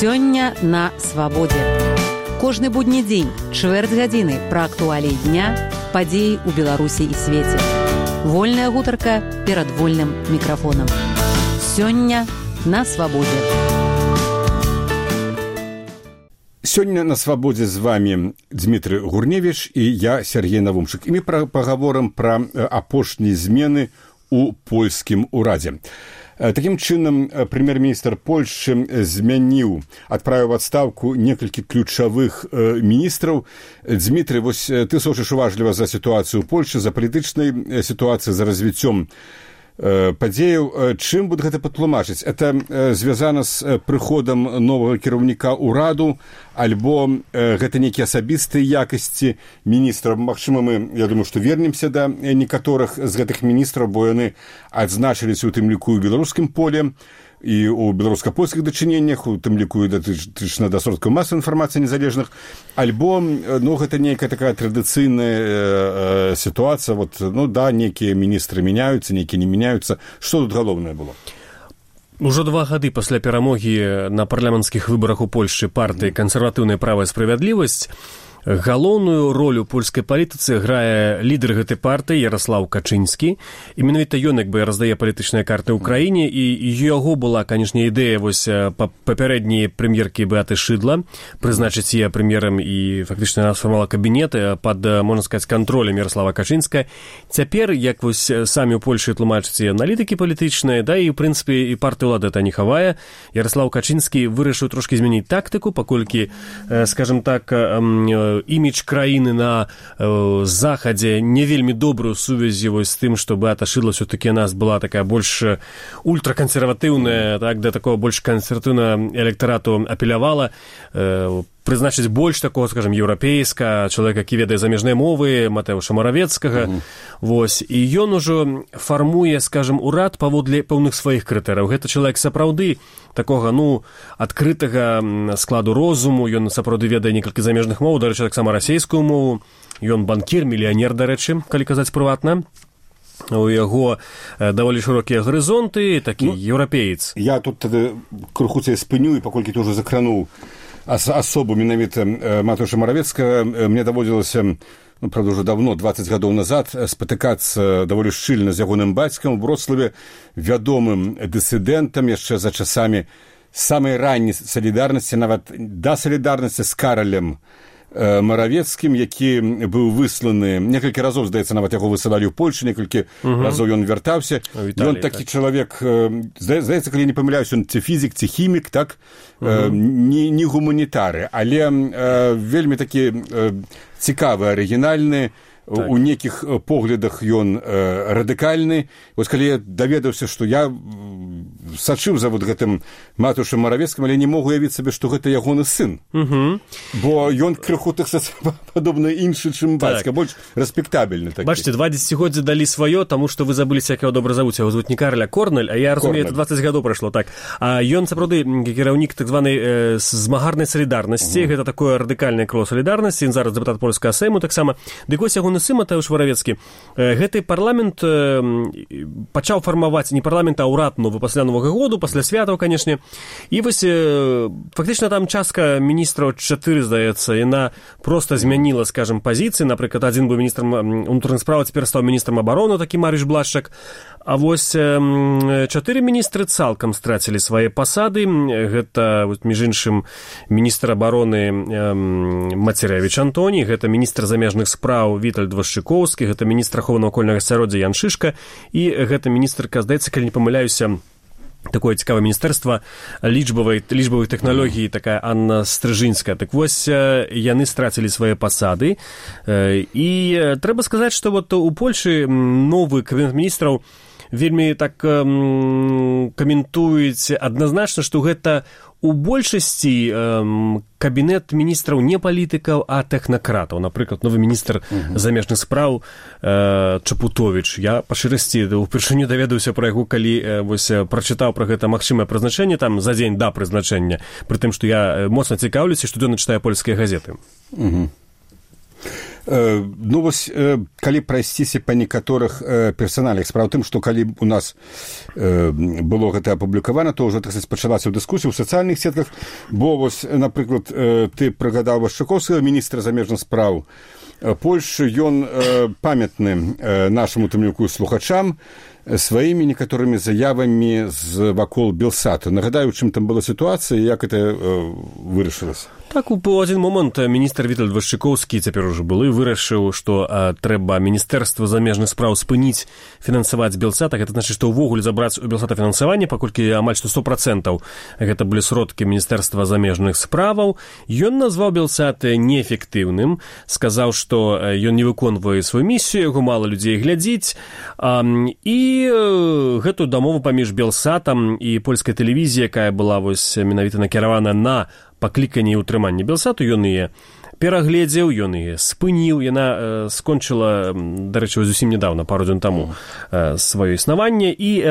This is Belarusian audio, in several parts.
Сёння на свабодзе. Кожны будні дзень, чвэрць гадзіны пра актуаліі дня, падзеі ў Беларусі і свеце. Вольная гутарка перад вольным мікрафонам. Сёння на свабодзе. Сёння на свабодзе з вами Дмітрый Гурневіч і я, Сергей Навумчык. І мы пагаворым пра апошнія змены ў польскім урадзе. Такім чынам, прэм'ер-міністр Польшчы адправіў у адстаўку некалькі ключавых міністраў. Дмітрый, вось ты сочыш уважліва за сітуацыю ў Польшчы, за палітычнай сітуацыяй, за развіццём падзеяў. Чым будзе гэта патлумачыць? Это звязана з прыходам новага кіраўніка ўраду, альбо гэта нейкія асабістыя якасці міністраў? Магчыма, я думаю, што вернемся да некаторых з гэтых міністраў, бо яны адзначыліся ў тым ліку ў беларускім поле і ў беларуска-польскіх дачыненнях, у тым ліку і датычна да сродкаў масавай інфармацыі незалежных, альбо гэта нейкая такая традыцыйная сітуацыя, некія міністры мяняюцца, нейкія не мяняюцца. Што тут галоўнае было? Ужо 2 гады пасля перамогі на парламенцкіх выбарах у Польшчы партыі «Кансерватыўная права і справядлівасць» галоўную ролю ў польскай палітыцы грае лідар гэтай партыі Ярослаў Качынскі. І менавіта ён раздае палітычныя карты ў краіне, і яго была, канешне, ідэя папярэдняй прэм'еркі Беаты Шыдла прызначыць яе прэм'ерам, і фактычна яна сфармавала кабінет пад, можна сказаць, кантролем Ярослава Качынска. Цяпер, як самі ў Польшы тлумачаць аналітыкі палітычныя, і, ў прынцыпе, і партыя ўлады это не хавае, Ярослаў Качынскі вырашыў трошкі змяніць тактыку, паколькі, скажам так, імідж краіны на захадзе не вельмі добрую сувязі з тым, што Беата Шыдла все-таки у нас была такая больш ультракансерватыўная, да такого больш кансерватыўна электарату апелявала, прызначыць больш такого, скажем, еўрапейска, чалавека, які ведае замежныя мовы, Матэўша Маравецкага. І ён ужо фармуе, скажем, урад паводле пэўных сваіх крытэрыяў. Гэта чалавек сапраўды такога, адкрытага складу розуму, ён сапраўды ведае некалькі замежных моў, дарэчы, таксама расейскую мову. Ён банкір, мільянер, дарэчы, калі казаць прыватна. У яго даволі шырокія гарызонты, такі еўрапеец. Я тут крыху цябе спыню, і паколькі ты ўжо закрануў асобу менавіта Матэўша Маравецкага, мне даводзілася, правда, ўжо давно, 20 гадоў назад, спатыкацца даволі шчыльна з ягоным бацькам у Вроцлаве, вядомым дысідэнтам яшчэ за часамі самай ранняй салідарнасці, нават да салідарнасці з Каралем Маравецкім, які быў высланы некалькі разоў, здаецца, нават яго высылалі ў Польшу, некалькі разоў ён вяртаўся. Ён такі чалавек, здаецца, калі не памыляюсь, ён ці фізік, ці хімік, так, не гуманітары, але вельмі такі цікавы, арыгінальны, у нейкіх поглядах ён радыкальны. Вось калі я даведаўся, што я сачыў за гэтым Матэўшам Маравецкім, але не мог уявіць сабе, што гэта ягоны сын. Бо ён крыху падобны іншы, чым бацька, больш рэспектабельны такі. Бачыце, 2 дзесяцігоддзі далі сваё, таму што вы забыліся, як яго добра завуць. Яго звуць не Карля, Корнель, а я разумею, это 20 гадоў прайшло, так. А ён сапраўды кіраўнік так званай змагарнай салідарнасці, гэта такое радыкальнае крыло салідарнасці, ён зараз дэпутат польскага сейму таксама. Дык вось ягоны сын Матэўш Маравецкі, гэты парламент пачаў фармаваць не парламент, а ўрад новы пасля Новага году, пасля святаў, канешне. І вось фактычна там частка міністраў 4, здаецца, яна проста змяніла, скажем, пазіцыі. Напрыклад, адзін быў міністрам унутраных спраў, цяпер стаў міністрам абароны, такі Марыш Блашчак. А вось 4 міністры цалкам страцілі свае пасады. Гэта, між іншым, міністр абароны Мацеревіч Антоній, гэта міністр замежных спраў Вітальд Вашчыкоўскі, гэта міністр аховы навакольнага асяроддзя Ян Шышка, і гэта міністрка, здаецца, калі не памыляюся, такое цікавае міністэрства лічбавых тэхналогій, такая Анна Стрыжынская. Так вось, яны страцілі свае пасады. І трэба сказаць, што у Польшы новы кабінет міністраў вельмі так каментуюць адназначна, што гэта у большасці кабінет міністраў не палітыкаў, а тэхнакратаў. Напрыклад, новы міністр замежных спраў Чапутовіч. Я па шчырасці упершыню даведаўся пра яго, калі прачытаў пра гэта магчымае прызначэнне там за дзень да прызначэння, пры тым, што я моцна цікаўлюся, штодзённа чытаю польскія газеты. Ну, вось, калі прайсціся па некаторых персаналях, справа ў тым, што калі у нас было гэта апублікавана, то ўжо, так сказаць, пачалася дыскусія ў сацыяльных сетках, бо, вось, напрыклад, ты прыгадаў Вашчаковскага, міністра замежных спраў Польшчы, ён памятны нашаму тымліку слухачам сваімі некаторымі заявамі з вакол Белсату. Нагадаю, чым там была сітуацыя і як гэта вырашылася. Так, у один момент міністр Вітальд Вашчаковскі, цяпер ужо былы, вырашыў, што трэба Міністэрства замежных спраў спыніць фінансаваць Белсат. Гэта значыць, што ўвогуле забраць у Белсата фінансаванне, паколькі амаль што 100% гэта былі сродкі Міністэрства замежных справаў. Ён назваў Белсат неэфектыўным, сказаў, што ён не выконвае сваю місію, яго мала людзей глядзіць, і гэту дамову паміж Белсатам і польскай тэлевізіяй, якая была вось менавіта накіравана на пакліканне і ўтрыманне Белсату, ён яе перагледзеў, ён яе спыніў, яна скончыла, дарэчы, зусім нядаўна, пару дзён таму, сваё існаванне, і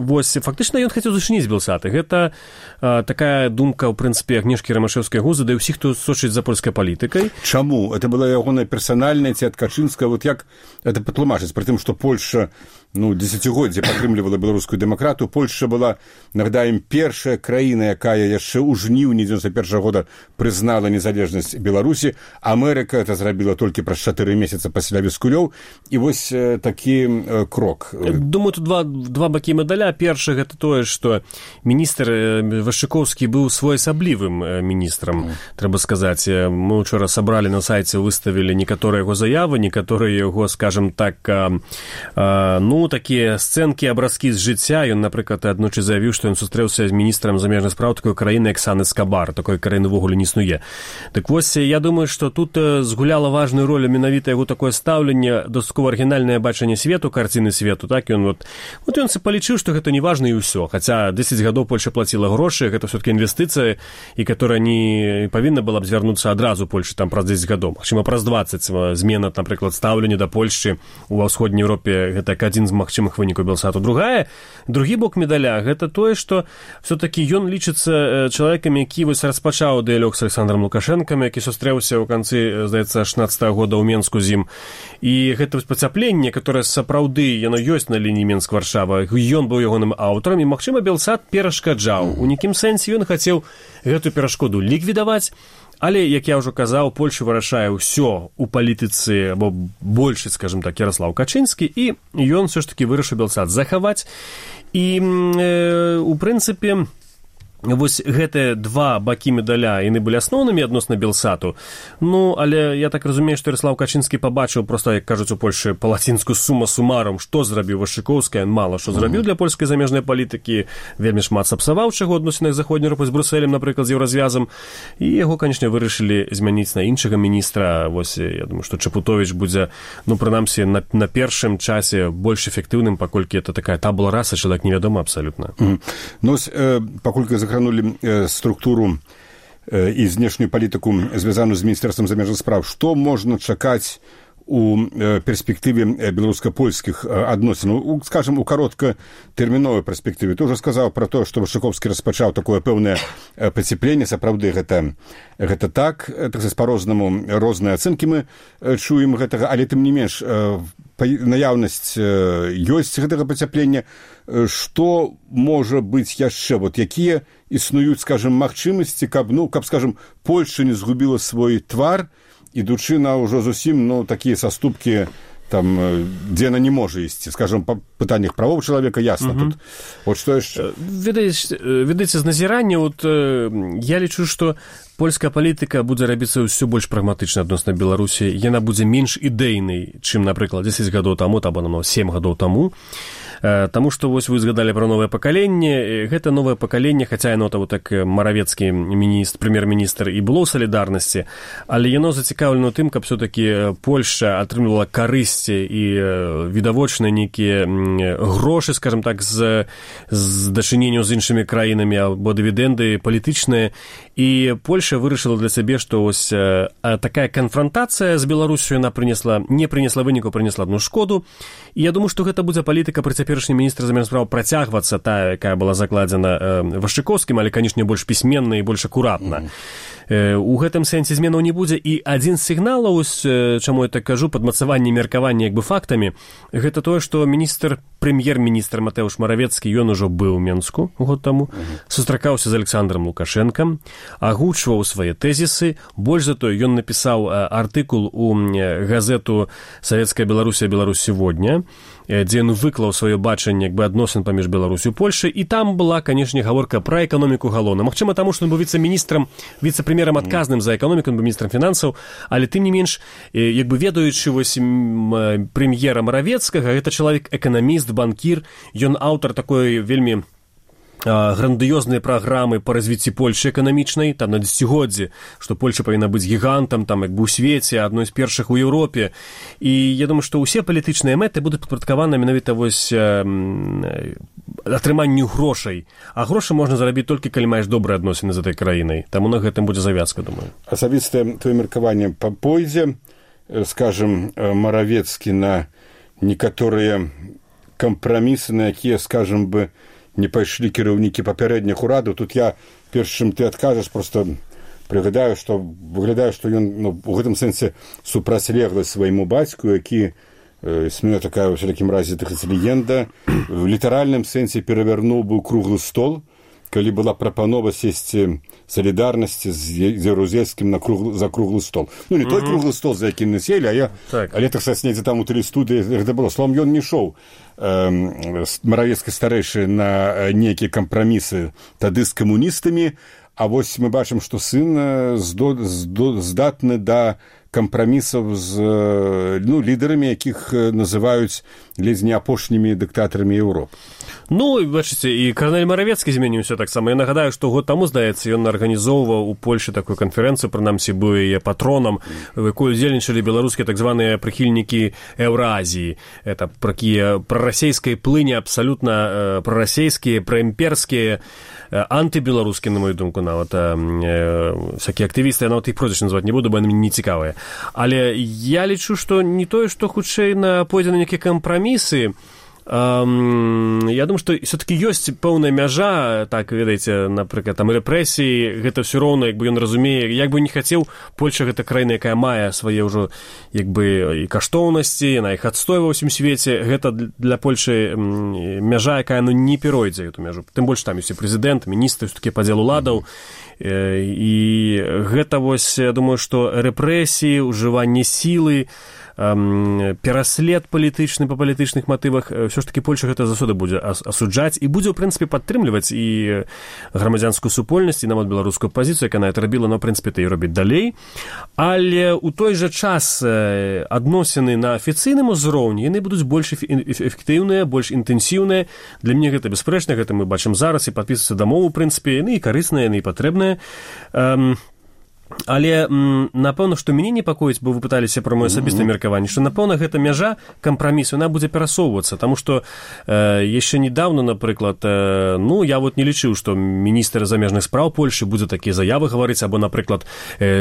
вось фактычна ён хацеў зачыніць Белсаты. Гэта такая думка, ў прынцыпе, Агнешкі Рамашэўскай гузы, да і ўсіх, хто сочыць за польскай палітыкай. Чаму? Это была ягоная персанальная ці ад Качынскага? Вот як это патлумачыць? Пры тым, што Польша дзесяцігоддзе падтрымлівала беларускую дэмакратыю. Польша была, нагадаем, першая краіна, якая яшчэ ў жніўні 91 года прызнала незалежнасць Беларусі. Амерыка это зрабіла толькі праз 4 месяца пасля Віскулёў. І вось такі крок. Думаю, тут два бакі медаля. Першы гэта тое, што міністр Вашчаковскі быў своеасаблівым міністрам, трэба сказаць. Мы учора сабралі на сайце, выставілі некаторыя яго заявы, некаторыя яго, скажем так, такія сцэнкі, абразкі з жыцця. Ён, напрыклад, аднойчы заявіў, што ён сустрэўся з міністрам замежных спраў такой краіны, як Сан-Эскабар. Такой краіны ўвогуле не існуе. Так вось, я думаю, што тут згуляла важную ролю менавіта яго такое стаўленне, дастаткова арыгінальнае бачанне свету, карціны свету. Так, ён ён палічыў, што гэта не важна і ўсё. Хаця 10 гадоў Польша плаціла грошы, гэта ўсё-таки інвестыцыя, і которая не павінна была б звярнуцца адразу Польшы там праз 10 гадоў. Магчыма, праз 20 змена, напрыклад, стаўлення да Польшчы ў ўсходняй Еўропе, гэта адзін з магчымых вынікаў Белсату. Другі бок медаля гэта тое, што все-таки ён лічыцца чалавекам, які вось распачаў дыялог з Александром Лукашэнкам, які сустрэўся ў канцы, здаецца, 16 года ў Менску з ім. І гэта пацяпленне, которое сапраўды яно ёсць на лініі Менск-Варшава. Ён быў ягоным аўтарам, і магчыма, Белсат перашкаджаў. У нейкім сэнсе ён хацеў гэту перашкоду ліквідаваць. Але, як я ўжо казаў, Польша вырашае ўсё ў палітыцы, або больш, скажем так, Ярослаў Качынскі, і ён все ж таки вырашыў Белсат захаваць. І, у прынцыпе, вось гэтыя два бакі медаля, яны былі асноўнымі адносна Белсату. Але я так разумею, што Ярослаў Качынскі пабачыў проста, як кажуць у Польшы, па-лацінску сума сумарум, што зрабіў Вашчаковскі, мала што зрабіў для польскай замежнай палітыкі, вельмі шмат сапсаваў чаго адносінах заходняй Еўропы з Брусэлем, напрыклад, з еўразвязам, і яго, канечне, вырашылі змяніць на іншага міністра. Вось, я думаю, што Чапутовіч будзе, прынамсі, на першым часе больш эфектыўным, паколькі это такая табула раса, чалавек невядома абсалютна. Паколькі закранули структуру і знешнюю палітыку, звязаную з Міністэрствам замежных спраў, што можна чакаць у перспектыве беларуска-польскіх адносін, скажем, у кароткатэрміновай перспектыве. Ты ўжо сказаў пра тое, што Вашчаковскі распачаў такое пэўнае пацяпленне. Сапраўды гэта так, па-рознаму, розныя ацэнкі мы чуем гэтага, але тым не менш наяўнасць ёсць гэтага пацяплення. Што можа быць яшчэ? Якія існуюць, скажем, магчымасці, каб, скажем, Польша не згубіла свой твар, ідучы на ўжо зусім, такія саступкі, там, дзе яна не можа ісці. Скажем, па пытаннях правоў чалавека ясна тут. Вот што яшчэ? Ведаеце, з назірання, я лічу, што польская палітыка будзе рабіцца ўсё больш прагматычна адносна Беларусі. Яна будзе менш ідэйнай, чым, напрыклад, 10 гадоў таму, або 7 гадоў таму. Таму што вось вы згадалі пра новае пакаленне. Гэта новае пакаленне, хаця яно так Маравецкі прэм'ер-міністр і было ў салідарнасці, але яно зацікаўлена тым, каб все-таки Польша атрымлівала карысці і відавочныя нейкія грошы, скажем так, з дачыненняў з іншымі краінамі або дывідэнды палітычныя. І Польша вырашыла для сябе, што ось такая канфрантацыя з Беларусю яна не прынесла выніку, прынесла адну шкоду. І я думаю, што гэта будзе палітыка пры цяперашнім міністра замежных спраў працягвацца, тая, якая была закладзена Вашчаковскім, але, канечне, больш пісьменна і больш акуратна. У гэтым сэнсе зменаў не будзе. І адзін з сігналаў, чаму я так кажу, падмацаванне меркавання як бы фактамі, гэта тое, што прэм'ер-міністр Матэўш Маравецкі, ён ужо быў у Менску год таму, сустракаўся з Александром Лукашенкам, агучваў свае тэзісы. Больш за тое, ён напісаў артыкул у газету «Савецкая Беларусія, Беларусь сегодня», дзе ён выклаў сваё бачанне як бы адносін паміж Беларусю і Польшай, і там была, канешне, гаворка пра эканоміку галоўна. Магчыма, таму, што ён быў віцэ-прэм'ерам адказным за эканоміку, ён быў міністрам фінансаў, але тым не менш, як бы ведаючы вось прэм'ера Маравецкага, гэта чалавек эканаміст, банкір, ён аўтар такой вельмі грандыёзныя праграмы па развіцці Польшы эканамічнай, там на дзесяцігоддзі, што Польша павінна быць гігантам, там як бы ў свеце, адной з першых у Еўропе. І я думаю, што ўсе палітычныя мэты будуць падпарадкаваны менавіта вось атрыманню грошай. А грошы можна зарабіць толькі, калі маеш добрыя адносіны з этой краінай. Таму на гэтым будзе завязка, думаю. Асабістае твоё меркаванне пойдзе, скажем, Маравецкі на некаторыя кампрамісы, на якія, скажем бы, не пайшлі кіраўнікі папярэдніх урадаў. Тут я, перш чым ты адкажаш, просто прыгадаю, што выглядае, што ён у гэтым сэнсе супрацьлеглы свайму бацьку, які, існуе такая ў всякім разе легенда, в літаральным сэнсе перавярнуў быў круглы стол, калі была прапанова сесці салідарнасці з Ярузельскім за круглы стол. Ну, не той круглы стол, за якім мы селі, але так сказаць, недзе там у тэлестудыі гэта было. Словом, ён не ішоў Маравецкі старэйшы на нейкія кампрамісы тады з камуністамі, а вось мы бачым, што сын здатны да кампрамісаў з лідарамі, якіх называюць ледзь не апошнімі дыктатарамі Еўропы. Ну, бачыце, і карнель Маравецкі зменіўся таксама. Я нагадаю, што год таму, здаецца, ён арганізоўваў у Польшы такую канферэнцыю, прынамсі, быў яе патронам, у якой удзельнічалі беларускія так званыя прыхільнікі Еўразіі. Это такія прарасейскай плыні, абсалютна прарасейскія, праімперскія, антыбеларускія, на мою думку, нават всякія актывісты, я нават іх прозвішча называць не буду, бо яны мне не цікавыя. Але я лічу, што не тое, што хутчэй пойдзе на нейкія кампрамісы. Я думаю, што все-таки ёсць пэўная мяжа, так, ведаеце, напрыклад, там рэпрэсіі, гэта ўсё роўна, як бы ён разумее, як бы не хацеў, Польша гэта краіна, якая мае свае ўжо, як бы, і каштоўнасці, яна іх адстойвае ва ўсім свеце, гэта для Польшы мяжа, якая, не перойдзе эту мяжу. Тым больш там ёсць і прэзідэнт, міністры, такі падзел уладаў, і гэта вось, я думаю, што рэпрэсіі, ужыванне сілы, пераслед палітычны па палітычных матывах, ўсё ж такі Польша гэта заўсёды будзе асуджаць і будзе, ў прынцыпе, падтрымліваць і грамадзянскую супольнасць, і нават беларускую пазіцыю, яка яна это рабіла, но, ў прынцыпе, і робіць далей. Але ў той жа час адносіны на афіцыйным узроўні, яны будуць больш эфектыўныя, больш інтэнсіўныя. Для мяне гэта бясспрэчна, гэта мы бачым зараз, і падпісваюцца дамовы, ў прынцыпе, яны і карысныя, яны і патрэбныя. Але, напэўна, што мяне непакоіць, бо вы пыталіся пра маё асабістае меркаванне, што, напэўна, гэта мяжа кампрамісу, яна будзе перасоўвацца, таму што яшчэ недавно, напрыклад, я вот не лічыў, што міністр замежных спраў Польшы будзе такія заявы гаварыць, або, напрыклад,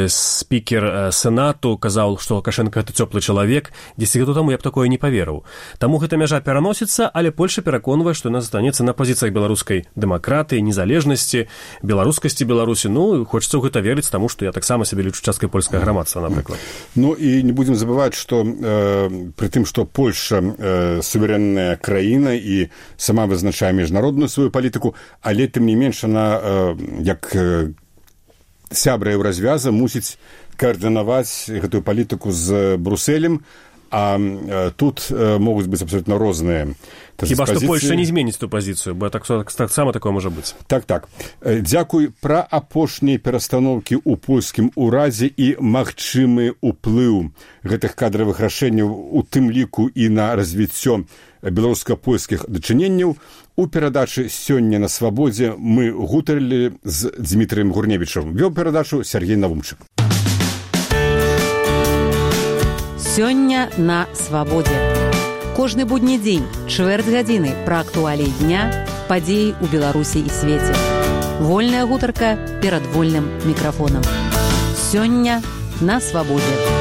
спікер Сенату казаў, што Лукашенко гэта цёплы чалавек. 10 гадоў таму я б такое не паверыў. Таму гэта мяжа пераносіцца, але Польша пераконвае, што яна застанецца на пазіцыях беларускай дэмакратыі, незалежнасці, беларускасці Беларусі. Хочацца ў гэта верыць, таму што я таксама сябе лічу часткай польскага грамадства, напрыклад. І не будзем забываць, што пры тым, што Польша суверэнная краіна і сама вызначае міжнародную сваю палітыку, але тым не менш она, як сябра Еўразвяза, мусіць каардынаваць гэтую палітыку з Брусэлем, а тут могуць быць абсолютно розныя. Хіба што Польша не зменіць ту пазіцыю, бо таксама такое можа быць. Так. Дзякуй. Пра апошнія перастаноўкі ў польскім урадзе і магчымы ўплыў гэтых кадравых рашэнняў, у тым ліку і на развіццё беларуска-польскіх дачыненняў. У перадачы «Сёння на свабодзе» мы гутарылі з Дмітрыем Гурневічам. Вёў перадачу Сергей Навумчык. Сёння на свабодзе. Кожны будні дзень, чвэрць гадзіны пра актуаліі дня, падзеі ў Беларусі і свеце. Вольная гутарка перад вольным мікрафонам. Сёння на свабодзе.